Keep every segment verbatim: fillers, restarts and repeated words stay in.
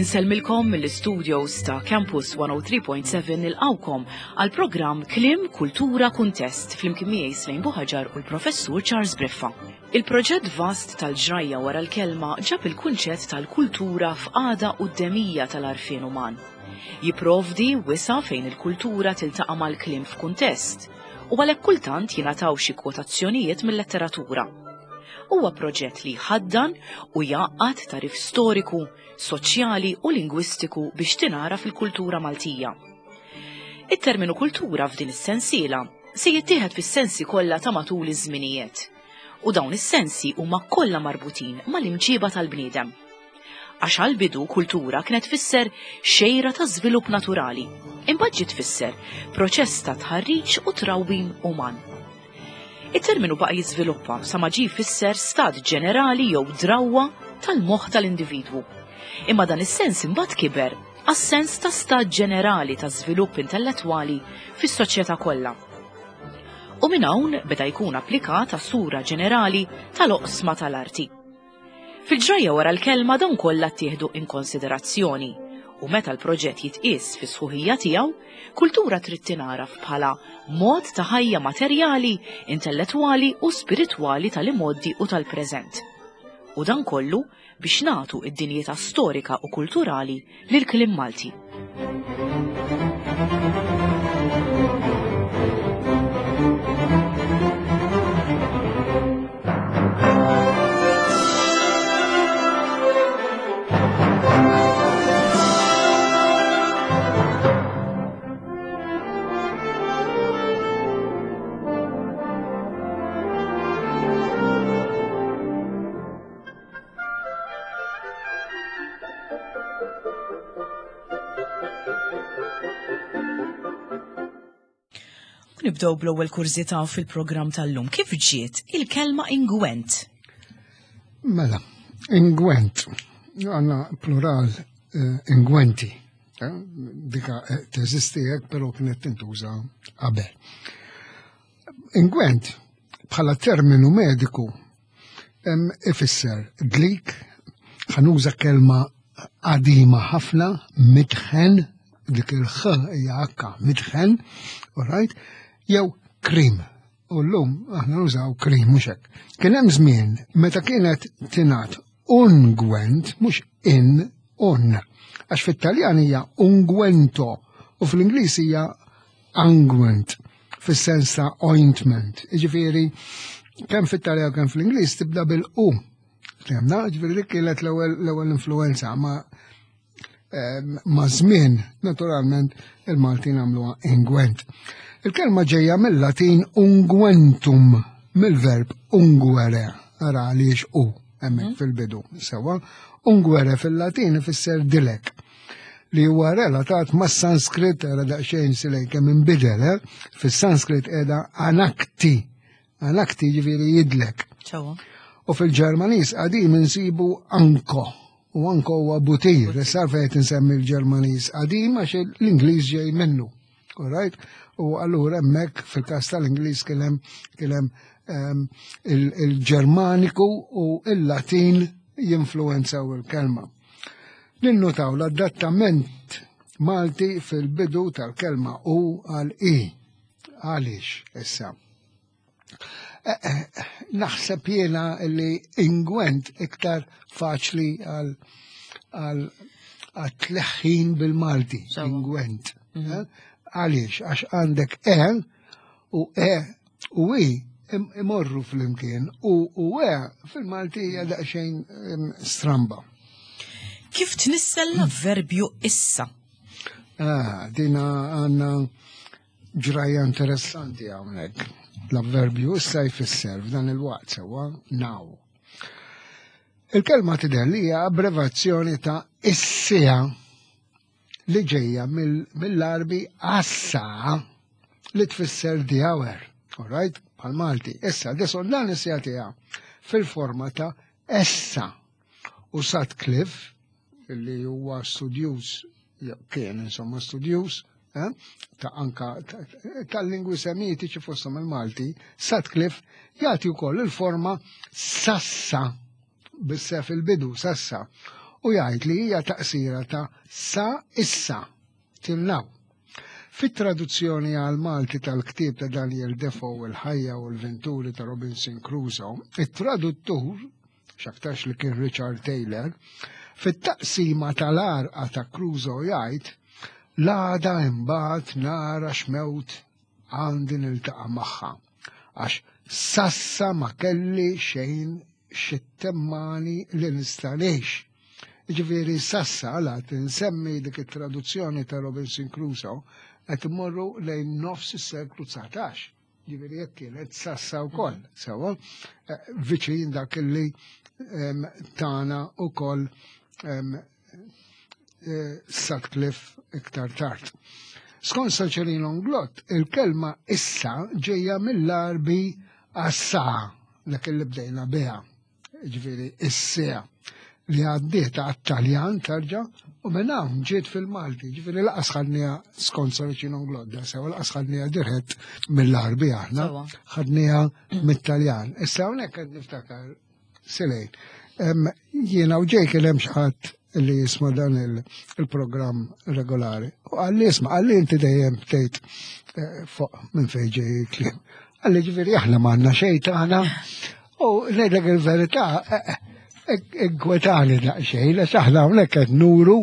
Insellmilkom mill-studios ta' Campus one oh three point seven, nilqgħukom għal programm Kliem, Kultura, Kuntest flimkien miegħi Slejn Buħaġar u l-Professur Charles Briffa. Il-proġett vast tal-ġrajja wara l-kelma ġab il-kunċett tal-kultura f'qagħda quddemija tal-għarfien uman. Jiprovdi wisa' fejn il-kultura tiltaqa' mal-kliem f'kuntest u għalhekk kultant jingħataw xi kwotazzjonijiet mill-letteratura. Huwa proġett li jħaddan u jgħaqqad tagħrif storiku, soċjali u lingwistiku biex tingħaraf il-kultura Maltija. It-terminu kultura f'din is-sensiela se jittieħed fis-sensi kollha ta' matul iż-żminijiet. U dawn is-sensi huma kollha marbutin mal-imġiba tal-bniedem. Għax għal-bidu kultura kienet tfisser xejra ta' żvilupp naturali, imbagħad ġiet tfisser proċess ta' tħarriġ u trawwim uman. Il-terminu baqa' jiżviluppa sa ma ġie jfisser stat ġenerali jew drawwa tal-moħħ tal-individwu. Imma dan is-sens imbagħad kiber għas-sens ta' stat ġenerali ta' żvilupp intellettwali fis-soċjetà kollha. U minn hawn beda jkun applikat għas-sura ġenerali tal-oqsma tal-arti. Fil-ġrajja wara l-kelma dawn kollha ttieħdu in konsiderazzjoni u meta l-proġett jitqies fi sħuħija tiegħu, kultura trid tingħaraf bħala mod ta' ħajja materjali, intellettwali u spiritwali tal-imgħoddi u tal-preżent. U dan kollu biex nagħtu id-dinjità storika u kulturali lil kliem Malti. U nibdew bl-ewwel kurżità fil-programm tal-lum. Kif ġiet il-kelma ingwent? Mela, ingwent, għandna plural eh, ingwenti. Eh, Dika eh, teżisti hekk, però kienet tintuża qabel. Ingwent bħala terminu mediku em, ifisser dlik, ħa nuża kelma qadima ħafna, mitħen, dik il-ħ hija akka, mitħen, all right, jew krim. U llum aħna nużaw krim, mhux hekk. Kien hemm żmien meta kienet tingħad ungwent, mhux in, un. Għax fit-Taljan hija unguento u fl-Ingliż hija unguent fis-sens ta' ointment. Jiġifieri kemm fit-Taljan kemm fl-Ingliż tibda bil-u. Fhimna, ġifieri dik kienet l-ewwel l-ewwel influenza ma em, ma' żmien naturalment il-Maltin għamluha ingwent. Il-kelma ġejja mill-Latin unguentum, mill-verb unguere, ara għaliex u hemmhekk fil-bidu. Sewa, unguere fil-Latin ifisser dilek li huwa relatat ma' Sanskrit, era daqsxejn silej kemm inbidel, eh? Fis-Sanskrit qiegħda anakti, anakti ġifieri jidlek. Sewwa. U fil-Ġermaniż qadim insibu anko, u anko huwa butir, issa fejn insemmi l-Ġermaniż qadim għax l-Ingliż ġej minnu. All right? U allura hemmhekk fil-każ tal-Ingliż kien hemm kien hemm ehm, il- il-Ġermaniku u il-Latin jinfluenzaw il-kelma. Ninnutaw l-adattament Malti fil-bidu tal-kelma u għal i. Għaliex issa? Eh, eh, Naħseb jiena li ingwent iktar faċli għal għal għat-tleħħin bil-Malti. Sewwa. Ingwent. Eh? Għaliex? Għax għandek e u e u i im- imorru fl-imkien u u e fil-Malti hija daqsxejn em, stramba. Kif tnissel l-avverbju issa? Ah, dina għandna ġrajja interessanti hawnhekk. L-avverbju issa jfisser f'dan il-waqt, sewwa, now. Il-kelma tidher li hija abbrevazzjoni ta' is-siegħa li ġejja mill- mill-Arbi assa li tfisser the hour, all right? Bħal Malti. Issa, deson dan is-siegħa tiegħha fil-forma ta' essa. U Sutcliffe, li huwa studjuż, jew kien insomma studjuż, eh, ta' anka ta- tal-lingwi semitiċi fosthom il-Malti, Sutcliffe jagħti wkoll il-forma sassa bis-sef il-bidu, sassa. U jgħid li hija taqsira ta' sa issa till now. Fit-traduzzjoni għal Malti tal-ktieb ta' Daniel Defoe, Il-ħajja u l-Venturi ta' Robinson Crusoe, it-traduttur, x'aktarx li kien Richard Taylor, fit-taqsima tal-għarqa ta' Crusoe jgħid: "L-għada imbagħad nara x'mewt għandi niltaqa' magħha, għax s'issa ma kelli xejn x'ittemmani li nista' ngħix." Ġifieri s'issa għala tinsemmi dik it-traduzzjoni ta' Robinson Crusoe qed immorru lejn nofs is-seklu dsatax. Ġifieri jekk kienet s'issa wkoll, sewa, eh, viċin dak li em, tana ukoll em, eh, Sutcliffe iktar tard. Skont Saċerino Inglott, il-kelma issa ġejja mill-Arbi assa, dak li bdejna biha, ġifieri is-siegħa li għaddiet għat-Taljan tarġa u minn hawn ġiet fil-Malti, ġifieri lanqas ħadniha skont Saracino Inglott, sewa lanqas ħadniha dirett mill-Arbi aħna, Sewa. ħadniha mit-Taljan. Issa hawnhekk qed niftakar Selejn. Em, Jiena u ġej kien hemm xi ħadd li jisma' dan il- il-programm regolari. U qalli, "Isma'," qalli, "inti dejjem tgħid eh, fuq minn fejn ġej il-kliem." Qalli, "Ġifieri aħna m'għandna xejn tagħna?" U ngħidlek il-verità, eh, eh, inkwetani daqsxejn, għax aħna hawnhekk qed nuru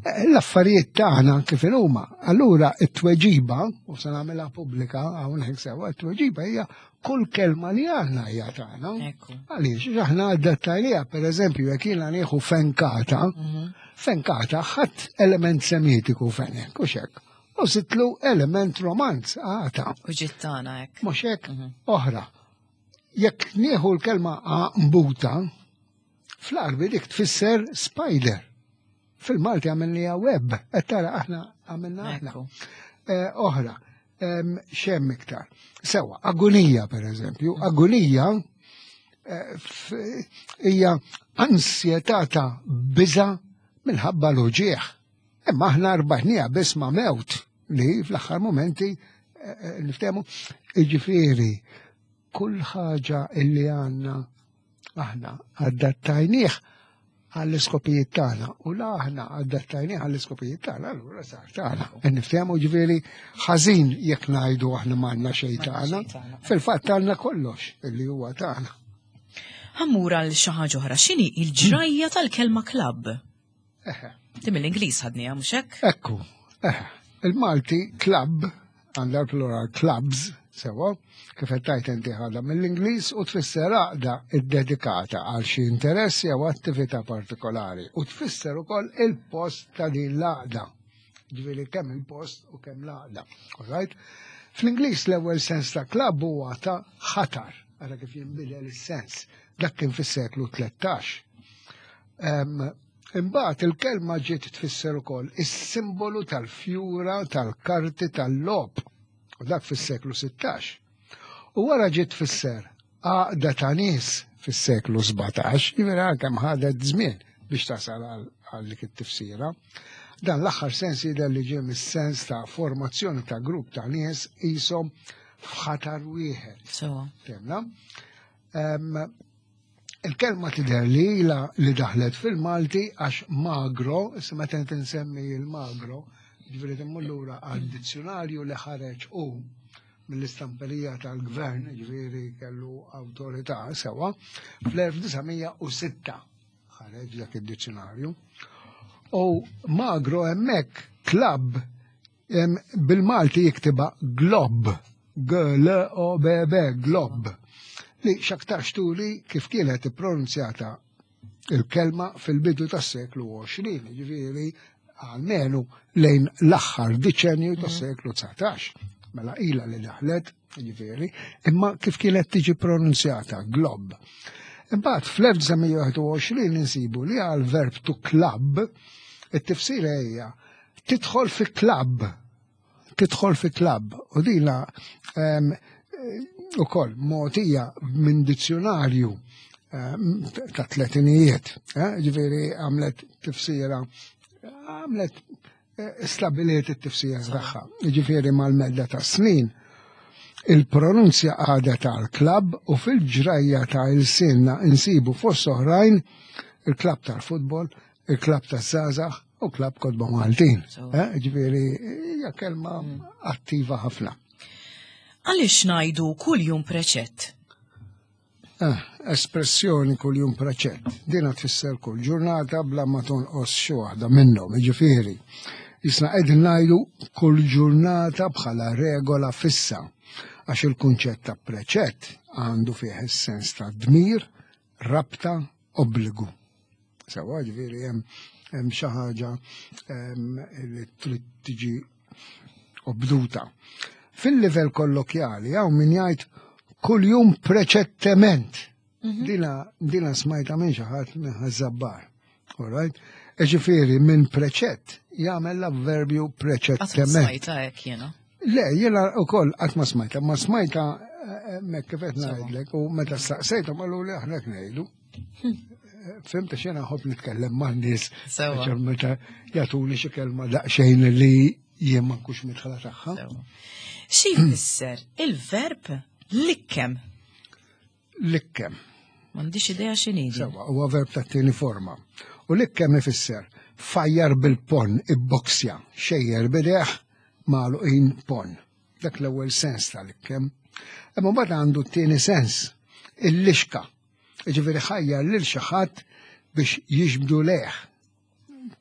eh, l-affarijiet tagħna kif huma. Allura it-tweġiba, u se nagħmilha pubblika hawnhekk sewa, it-tweġiba hija kull kelma li għandna hija tagħna. Ekku. Għaliex, aħna adattajnieha, per eżempju, jekk jiena nieħu fenkata, fenkata ħadt element semitiku fenek, u xek. U żidtlu element romanz, għata. U ġiet tagħna hekk. Mhux hekk, oħra. Jekk nieħu l-kelma għanbuta, fl-Arbi dik tfisser spider. Fil-Malti għamilniha web, qed tara aħna għamilna aħna. Ekku. Eh, Oħra, em, xem iktar. Sewa, agonija per eżempju, agonija eh, f- hija ansjetà ta' biża minħabba l-uġieħ. Imma aħna rbatnieha biss ma' mewt li fl-aħħar momenti eh, eh, niftehmu, iġifieri kull ħaġa illi għandna aħna adattajnieh għall-iskopijiet tagħna u la aħna adattajnieh għall-iskopijiet tagħna, allura sar tagħna. Niftehmu, ġifieri ħażin jekk ngħidu aħna m'għandna xejn M'għandna tagħna. xejn tagħna. Fil-fatt għandna kollox illi huwa tagħna. Ħa mmur għal xi ħaġa oħra. X'inhi il-ġrajja tal-kelma club? Eħe. Di mill-Ingliż ħadniha, mhux hekk? Ekku, eħe. Il-Malti club, għandha l-plural clubs, sewa, kif qed tajt inti ħadha mill-Ingliż u tfisser għaqda iddedikata għal xi interess jew attività partikolari u tfisser ukoll il-post ta' din l-għaqda. Ġifieri kemm il-post u kemm l-għaqda. All right? Fl-Ingliż l-ewwel sens ta' club huwa ta' ħatar, ara kif jinbidel is-sens. Dak kien fis-seklu tlettax. Em, Imbagħad il-kelma ġiet tfisser ukoll is-simbolu tal-fjura tal-karti tal-logħob u dak fis-seklu sittax. U wara ġiet tfisser għaqda ta' nies fis-seklu sbatax, jiġifieri kemm ħadet żmien biex tasal għal għal dik it-tifsira. Dan l-aħħar sens jidher li ġie mis-sens ta' formazzjoni ta' grupp ta' nies qishom f'ħatar wieħed. Sewa. Fhimna? Em, Il-kelma tidher li ila li daħlet fil-Malti għax Magro, issa meta tinsemmi il-Magro, ġifieri timmur lura għal dizzjonarju li ħareġ u mill-istamperija tal-gvern, ġifieri kellu awtorità sewa, fl-elf disa' mija u sitta ħareġ dak id-dizzjonarju. U Magro hemmhekk club em, bil-Malti jiktiba glob, G L O B B, glob, li x'aktarx turi kif kienet ippronunzjata il-kelma fil-bidu tas-seklu għoxrin, ġifieri għalmenu lejn l-aħħar diċenju tas-seklu dsatax. Mela ila li daħlet, ġifieri, imma kif kienet tiġi pronunzjata, glob. Imbagħad fl-elf disa' mija u wieħed u għoxrin insibu li għal verb to club, it-tifsira hija tidħol fi club, tidħol fi club. U dina em, ukoll mogħtija minn dizzjonarju em, ta' tletinijiet, eh, ġifieri għamlet tifsira, għamlet eh, stabiliet it-tifsira tagħha. Ġifieri mal-medda ta' snin, il-pronunzja għada tal-club u fil-ġrajja ta' il-sinna insibu fost oħrajn il-club tal-futbol, Il-klabb taż-żgħażagħ u klabb Kotba Maltin. Eh, ġifieri hija kelma mm. attiva ħafna. Għaliex ngħidu kuljum preċett? Eh, espressjoni kuljum preċett. Dina tfisser kull ġurnata bla ma tonqos xi waħda minnhom, jiġifieri. Jisna qegħdin ngħidu kull ġurnata bħala regola fissa għax il-kunċett ta' preċett għandu fih is-sens ta' dmir, rabta, obbligu. Sewa ġifieri hemm hemm xi ħaġa li trid tiġi obduta. Fil-livell kollokjali hawn min jgħid kuljum preċettement. Mhm. Dina, dina smajta minn xi ħadd minn Ħaż-Żabbar. All right? Ġifieri minn preċett jagħmel l-avverbju preċettement. Smajta hekk jiena. Le, jiena wkoll qatt ma smajta, ma smajta eh, mek kif qed ngħidlek u meta staqsejthom qalu li aħna ngħidu. Hm. Fhimt xena nħobb nitkellem ma' nies. Meta jagħtuni xi kelma daqsxejn li jien ma nkunx midħla tagħha. Xi jfisser il-verb likkem? Likkem. M'għandix idea x'inhi. Sewa, huwa verb tat-tieni forma. U likkem ifisser fajjar bil-ponn, ibboksja, xejjer b'idejh magħluqin ponn. Dak l-ewwel sens tal-likkem. Imma mbagħad għandu t-tieni sens, il-lixka. Ġifieri ħajjar lil xi ħadd biex jiġbdu lejh.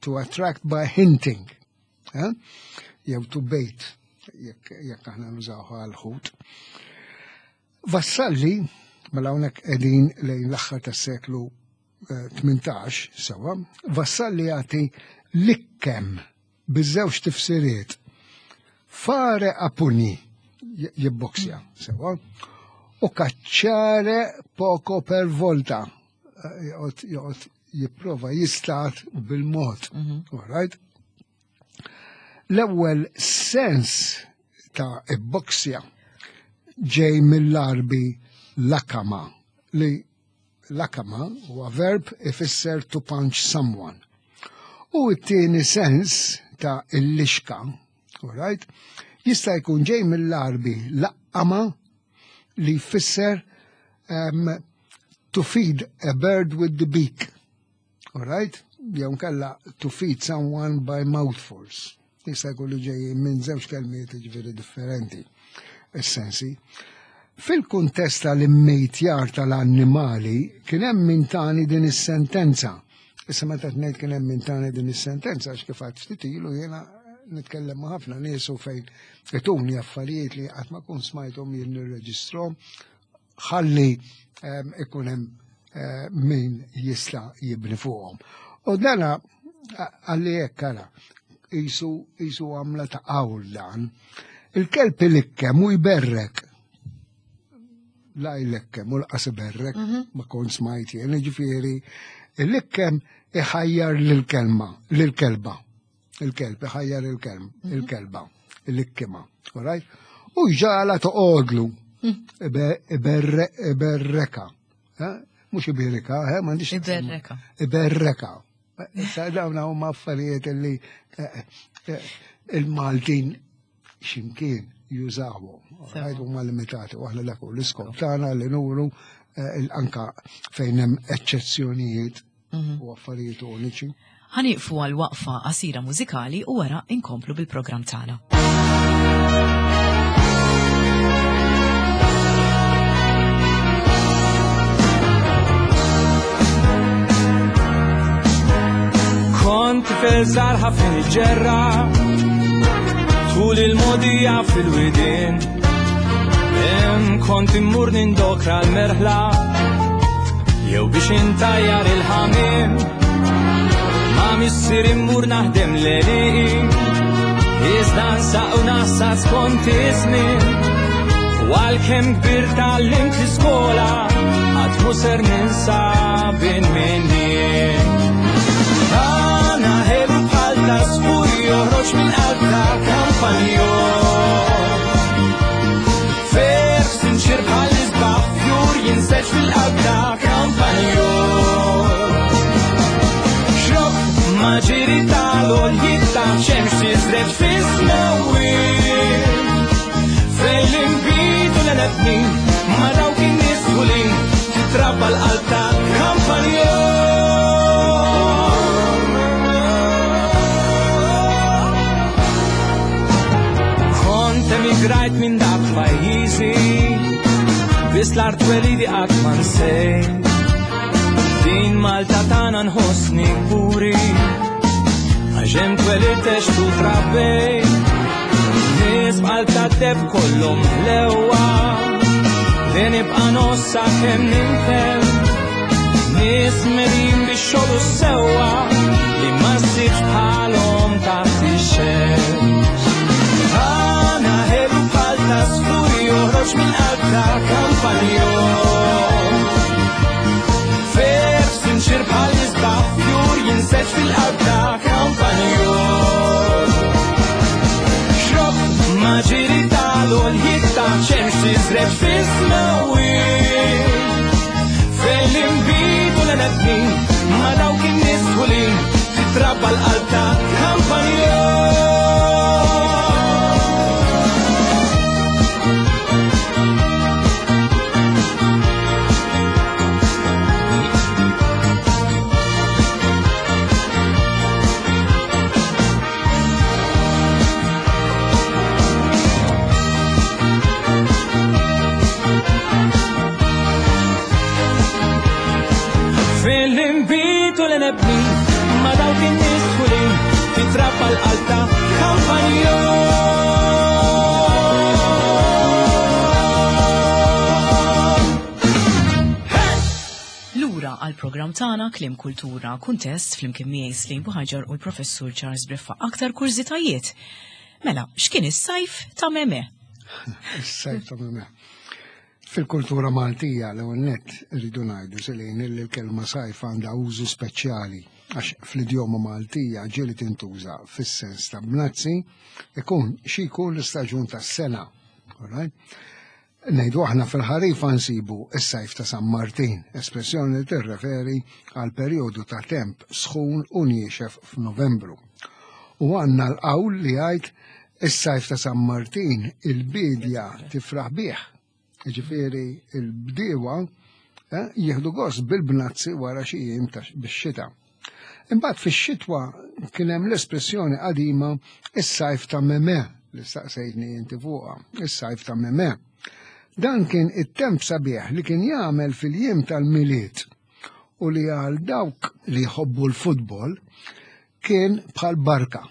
To attract by hinting. Eh? Jew to bait, jekk aħna nużawha għal-ħut. Vassalli, mela hawnhekk qegħdin lejn l-aħħar tas-seklu tmintax, eh, sewa, Vassalli jagħti likkem biż-żewġ tifsiriet. Fare a pugni, jibboksja, sewa, u cacciare poco per volta, eh, joqgħod jipprova jistat bil-mod. Mhm. All right? L-ewwel sens ta' ibboksja ġej mill-Arbi lakama li lakama huwa verb ifisser to punch someone. U t-tieni sens ta' il-lixka, all right, jista' jkun ġej mill-Arbi laqama li jfisser um, to feed a bird with the beak. All right? Jew kella to feed someone by mouthfuls. Jista' jkun li ġej minn żewġ kelmiet ġifieri differenti essensi. Fil-kuntest tal-immejtjar tal-annimali kien hemm min tani din is-sentenza. Issa meta ngħid kien hemm min tani din is-sentenza għax kif għedt ftit ilu jiena nitkellem ma' ħafna nies u fejn ituni affarijiet li qatt ma kun smajthom jien nirreġistrahom ħalli ehm, ikun hemm eh, min jista' jibni fuqhom. U dana għalli hekk ara jisu jisu għamla ta' qawl dan. Il-kelb ilikkem u jberrek. La jlikkem u lanqas iberrek, mhm. ma kont smajt jien, ġifieri, il-likkem iħajjar lil-kelma, lil-kelba. Il-kelb iħajjar il-kelb, mhm. il-kelba, il-likkima, right? U jġagħalha toqgħodlu, mhm. iberreka. Mhux ibirika, m'għandix. Iberreka. Iberreka. Issa dawn huma affarijiet li eh, eh, il-Maltin ximkien jużawhom. Right, huma limitati, u aħna dak hu l-iskop tagħna li nuru eh, anka fejn hemm eċċezzjonijiet mhm. u affarijiet uniċi. Ħa nieqfu għal waqfa qasira mużikali u wara inkomplu bil-programm tagħna. Kont tifel żgħar ħafna niġġerra tul il-mogħdija fil-widien. Hemm kont immur nindokra l-merħla jew biex intajjar il-ħamiem. Ma' missieri immur naħdem l-għelieqi, iżda nsaq u naħsad skont iż-żmien. U għalkemm kbirt tgħallimt l-iskola, qatt mhu ser ninsa bin min jien. Għana ħelu bħal għasfur joħroġ minn qalb ta' kampanjol. Ferħ sinċier bħal isbaħ fjur jinseġ fil-qalb ta' kampanjol. Xrobb ma' ġiri tal-għoljiet ta' xemx tiżreġ fis-smewwiet. Fejn l-inbid u l-għeneb ma' dawk in-nies dħulin titrabba l-qalb ta' kampanjol. L-art twelidi qatt ma nsejt. Din Malta tagħna nħossni kburi, għax hemm twelidt għext u trabbejt. Nies b'qalb tad-deheb kollhom ħlewwa, li nibqa' nossa kemm nintemm. Nies merin bix-xogħol u s-sewwa, li ma ssibx bħalhom taħt ix-xemx. Għana ħelu bħal ta' sfuri joħroġ mill-qalb ta' kampanjol. Ferħ sinċir bħal isbaħ fjur jinseġ fil-qalb ta' kampanjol. Xrob ma ġiri tal-għoljiet ta' xemx tiżreġ fis-smewwiet. Fejn l-inbid u l-għenebnin ma dawk in-nies ħulin titrabba l-qalb ta' kampanjol. Fil-inbid u l-għenebnin ma dawk in-nies ħulin titrabba l-qalb ta' kampanjol. Lura għal program tagħna Kliem Kultura Kuntest flimkien miegħi Slim Buhaġar u l-Professur Charles Briffa. Aktar kurżitajiet. Mela, x'kien is-sajf ta' Meme? Is-sajf ta' Meme. Fil-kultura Maltija l-ewwel nett irridu ngħidu Selin li l-kelma sajf għandha użu speċjali għax fl-idjoma Maltija ġieli tintuża fis-sens ta' bnazzi ikun xi jkun l-istaġun tas-sena. All right? Ngħidu aħna fil-ħarifa nsibu s-sajf ta' San Martin, espressjoni li tirreferi għal perjodu ta' temp sħun u niexef f'Novembru. U għandna l-qawl li jgħid is-sajf ta' San Martin il-bidja tifraħ bih. Jiġifieri il-bdiewa, eh, jieħdu gost bil-bnazzi wara xi jiem ta' bix-xita. Imbagħad fix-xitwa kien hemm l-espressjoni qadima is-sajf ta' Meme li staqsejtni inti fuqha, is-sajf ta' Meme. Dan kien it-temp sabiħ li kien jagħmel fil-jiem tal-Milied u li għal dawk li jħobbu l-futbol kien bħal barka.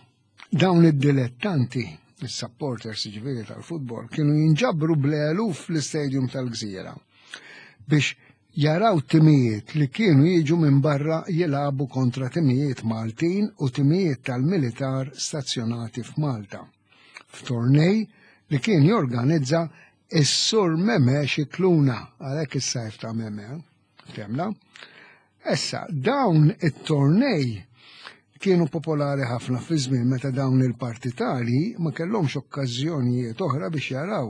Dawn id-dilettanti, is-supporters ġifieri tal-futbol, kienu jinġabru bl-eluf fl-istadium tal-Gżira biex jaraw timijiet li kienu jiġu minn barra jilagħbu kontra timijiet Maltin u timijiet tal-militar stazzjonati f'Malta. F'tornej li kien jorganizza is-Sur Meme Xikluna, għalhekk is-sajf ta' Meme, temla. Issa, dawn it-tornej kienu popolari ħafna fi żmien meta dawn il-partitari ma kellhomx okkażjonijiet oħra biex jaraw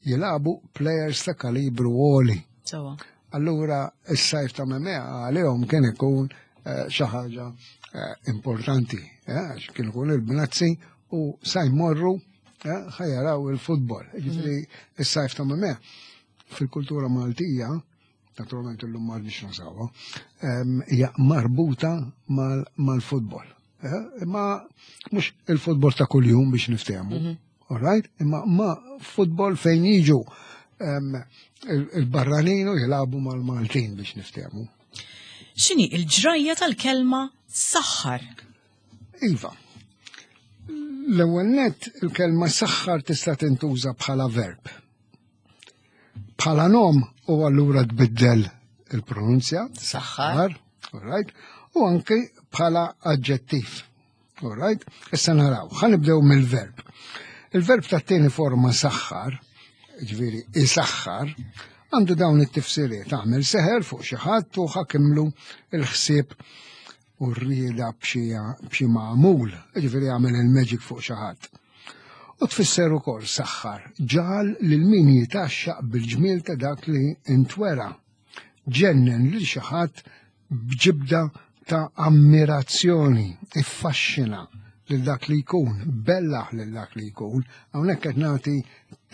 jilagħbu players ta' kalibru għoli. Sewwa. Allura is-sajf ta' Meme għalihom kien ikun, eh, xi ħaġa, eh, importanti, eh, għax kien ikun il-bnazzi u sa jmorru, eh, ħajaraw il-futbol. Jiġifieri is-sajf ta' Meme fil-kultura Maltija, naturalment illum ma rridx nużawha, ehm, hija marbuta mal-, mal-futbol. Eh, imma mhux il-futbol ta' kuljum biex niftehmu, Mhm. all right? Imma ma futbol fejn jiġu, ehm, il-, il-barranin u jilagħbu mal-Maltin biex niftehmu. X'inhi il-ġrajja tal-kelma saħħar? Iva. L-ewwel nett il-kelma saħħar tista' tintuża bħala verb. Bħala nom u allura tbiddel il-pronunzja. Saħħar. All right? U anke bħala aġġettiv. All right? Issa naraw, ħa nibdew mill-verb. Il-verb tat-tieni forma saħħar, ġifieri isaħħar, għandu dawn it-tifsiriet, għamel seħer fuq xi ħadd u ħakimlu il-ħsieb u r-rieda b'xi, b'xi magħmul, ġifieri għamel il-magic fuq xi ħadd. U tfisser ukoll saħħar, ġal lil min jitaxxaq bil-ġmiel ta' dak li intwera, ġennen lil xi ħadd b'ġibda ta' ammirazzjoni, iffaxxina lil dak li jkun, bellaħ lil dak li jkun. Hawnhekk qed nagħti,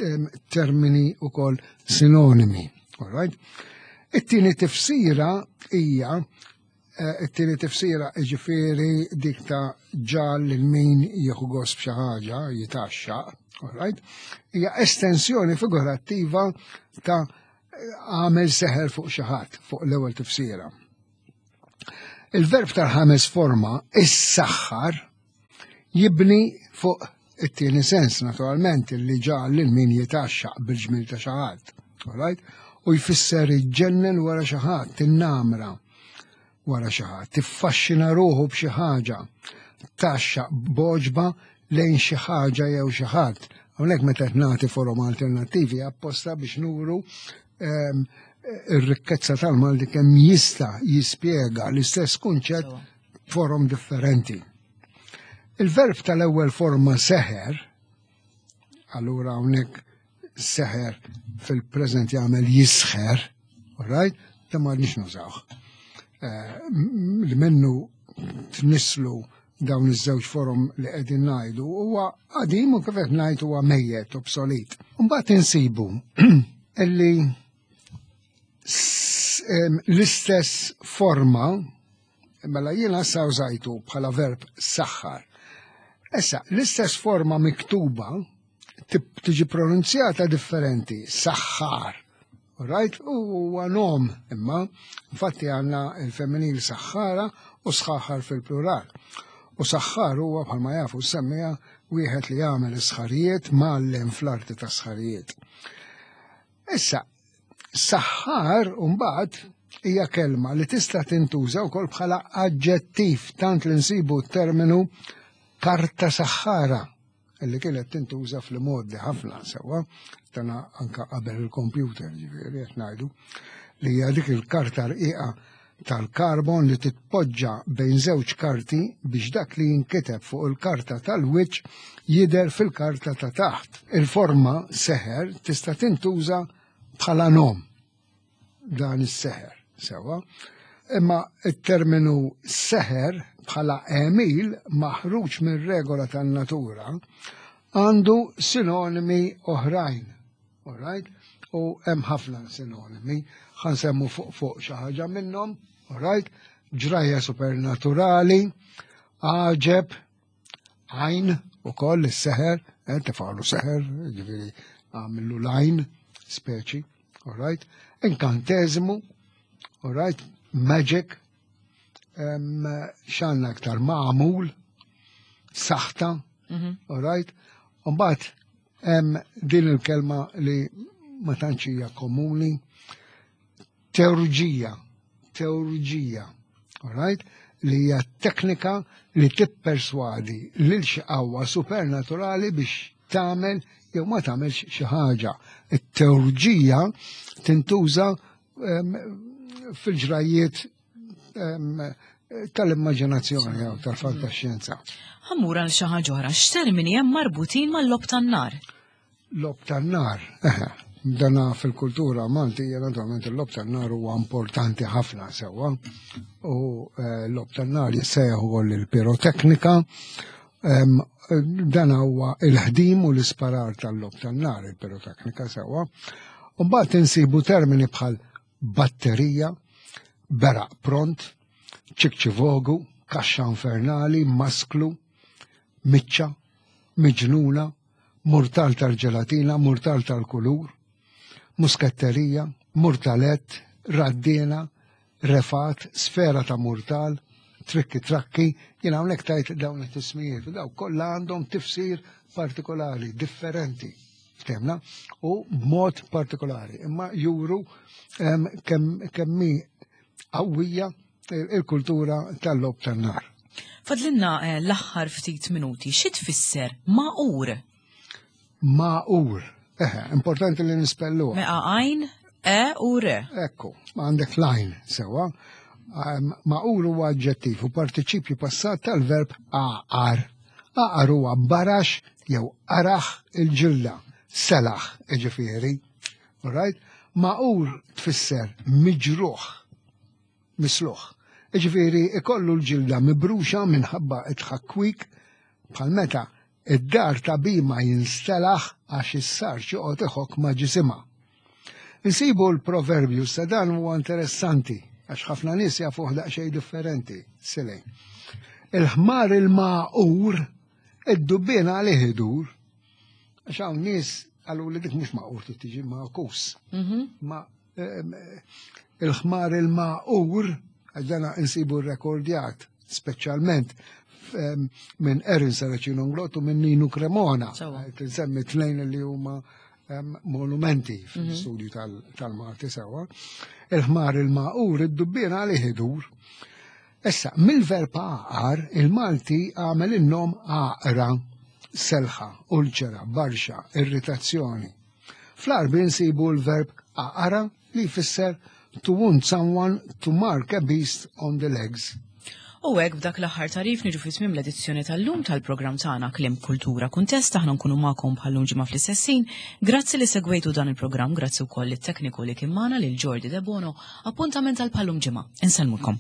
em, termini ukoll sinonimi. All right? It-tieni tifsira hija, eh, it-tieni tifsira jiġifieri dik ta' ġal lil min jieħu gost b'xi ħaġa, jitaxxaq, all right? Hija estensjoni figurattiva ta' Għamel seħer fuq xi ħadd, fuq l-ewwel tifsira. Il-verb tal-ħames forma, is-saħħar, jibni fuq it-tieni sens, naturalment, li ġa lil min jitaxxaq bil-ġmil ta' xi ħadd. Alright? U jfisser iġġennen wara xi ħadd, tinnamra wara xi ħadd, tiffaxxina ruħu b'xi ħaġa, taxxaq boġba lejn xi ħaġa jew xi ħadd. Hawnhekk meta qed nagħti forom alternattivi apposta biex nuru ehm, ir-rikkezza tal-Malti kemm jista' jispjega l-istess kunċett forom differenti. Il-verb tal-ewwel forma seħer, allura hawnhekk seħer fil-preżent jagħmel jisħer, all right? Ta' ma nix nużawh. Eh, li minnu tnislu dawn iż-żewġ forom li qegħdin ngħidu huwa qadim u kif qed ngħid huwa mejjet, obsolet. Mbagħad insibu illi s- em, l-istess forma mela jiena sa użajtu bħala verb saħħar. Issa, l-istess forma miktuba tib- tiġi pronunzjata differenti, saħħar. Right? U huwa nom imma, infatti għandna il-femminil saħħara u sħaħar fil-plural. U saħħar huwa bħalma jafu semmija wieħed li jagħmel is-sħarijiet mgħallem fl-arti ta' sħarijiet. Issa, saħħar mbagħad hija kelma li tista' tintuża wkoll bħala aġġettiv tant li nsibu terminu karta saħħara illi kienet tintuża fl-modi ħafna sewwa, tana anka qabel il-computer ġifieri qed ngħidu li hija dik il-karta rqiqa tal-karbon li titpoġġa bejn żewġ karti biex dak li jinkiteb fuq il-karta tal-wiċċ jidher fil-karta ta' taħt. Il-forma seħer tista' tintuża bħala nom dan is-seħer, sewwa. Imma il-terminu seħer bħala għemil maħruġ minn regola tan-natura għandu sinonimi oħrajn. All right? U hemm ħafna sinonimi, ħa nsemmu fuq fuq xi ħaġa minnhom, all right? Ġrajja supernaturali, għaġeb, għajn ukoll is-seħer, eh, tefgħalu seħer, ġifieri għamillu l-għajn, speċi, all right? Inkanteżmu, all right? Magic, em, x'għandna aktar magħmul, saħta, all right? Mbagħad hemm din il-kelma li ma tantx hija komuni, teurġija, teurġija, all right? Li hija teknika li tipperswadi lil xi qawwa supernaturali biex tagħmel jew ma tagħmelx xi ħaġa. It-teurġija tintuża em, fil-ġrajiet em, tal-immaġinazzjoni jew tal-fantaxjenza. Ħa mmur għal xi ħaġa oħra, x'termini hemm marbutin mal-logħob tan-nar? Logħob tan-nar, eħe, dana fil-kultura Maltija naturalment il-logħob tan-nar huwa importanti ħafna sewwa. U eh, l-logħob tan-nar jissejjaħ ukoll il-piroteknika. Em, Dan huwa il-ħdim u l-isparar tal-logħob tan-nar, il-piroteknika sewwa. U mbagħad insibu termini bħal batterija, beraq pront, ċikċivogu, kaxxa infernali, masklu, miċċa, miġnuna, murtal tal-ġelatina, murtal tal-kulur, muskatterija, murtalett, raddina, refat, sfera ta' murtal, trikki trakki, jina hawnhekk tajt dawn it-tismijiet, u daw kollha għandhom tifsir partikolari, differenti, ftemna, u b'mod partikolari, imma juru em, kemm kemm hi qawwija il-kultura tal-logħob tan-nar. Fadlinna eh, l-aħħar ftit minuti, xi tfisser maqur? Maqur. Eħe, importanti li nispelluha. Meqa għajn, e u r. Ekku, ma għandek lajn sewa. Um, Maqur huwa aġġettiv u partiċipju passat tal-verb aqar. Aqar huwa barax jew araħ il-ġilda, selaħ ġifieri. Alright? Maqur tfisser miġruħ, misluħ. Ġifieri ikollu l-ġilda mibruxa minħabba it-ħakwik bħal meta id-dar ta' bima jinstelaħ għax is-sar joqgħod iħokk ma' ġisimha. Insibu l-proverbju sa dan huwa interessanti għax ħafna nies jafuh daqsxejn differenti. Silej. Il-ħmar il-maqur id-dubbien għalih idur. Għax hawn nies qalu li dik mhux maqur trid tiġi makus. Ma Il-ħmar il-maqur, għax dana insibu rekordjat, speċjalment minn Erin Saracino Nglottu, minn Ninu Cremona. Nsemmi tnejn li huma monumenti fil-studju tal-Malti sewa. Il-ħmar il-maqur, id-dubbien għalih idur. Issa, mill-verb għaqar, il-Malti għamel in-nom għaqra, selħa, ulċera, barxa, irritazzjoni. Fl-Għarbi nsibu l-verb għaqara li jfisser to wound someone, to mark a beast on the legs. U hekk, b'dak l-aħħar tagħrif, niġu fi tmiem l-edizzjoni tal-lum tal-programm tagħna Kliem, Kultura, Kuntest. Aħna nkunu magħkom bħal-lum ġimgħa fl-istess ħin. Grazzi li segwejtu dan il-programm, grazzi wkoll lit-tekniku li kien magħna, lil Jordi De Bono. Appuntament għal bħal-lum ġimgħa. Insellmulkom.